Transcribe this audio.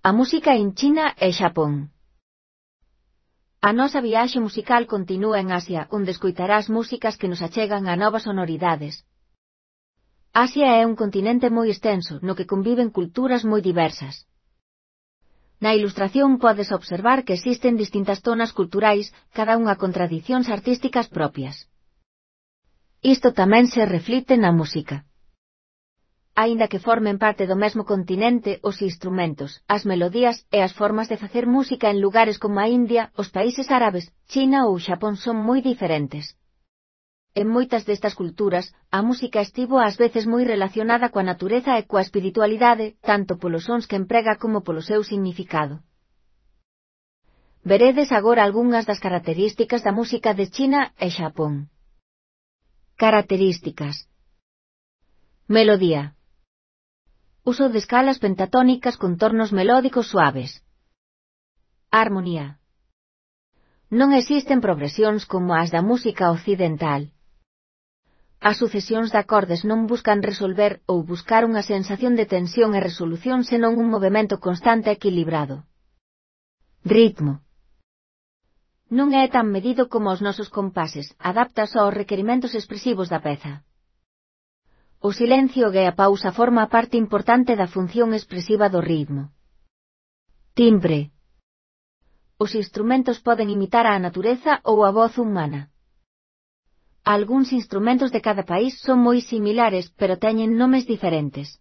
A música en China e Xapón. A nosa viaxe musical continúa en Asia, onde escoitarás músicas que nos achegan a novas sonoridades. Asia é un continente moi extenso, no que conviven culturas moi diversas. Na ilustración podes observar que existen distintas zonas culturais, cada unha con tradicións artísticas propias. Isto tamén se reflicte na música. Aínda que formen parte do mesmo continente, os instrumentos, as melodías e as formas de facer música en lugares como a India, os países árabes, China ou Xapón son moi diferentes. En moitas destas culturas, a música estivo ás veces moi relacionada coa natureza e coa espiritualidade, tanto polos sons que emprega como polo seu significado. Veredes agora algunhas das características da música de China e Xapón. Características. Melodía. Uso de escalas pentatónicas con tornos melódicos suaves. Armonía. Non existen progresións como as da música occidental. As sucesións de acordes non buscan resolver ou buscar unha sensación de tensión e resolución senón un movemento constante e equilibrado. Ritmo. Non é tan medido como os nosos compases, adáptase aos requerimentos expresivos da peza. O silencio e a pausa forma parte importante da función expresiva do ritmo. Timbre. Os instrumentos poden imitar a natureza ou a voz humana. Algúns instrumentos de cada país son moi similares, pero teñen nomes diferentes.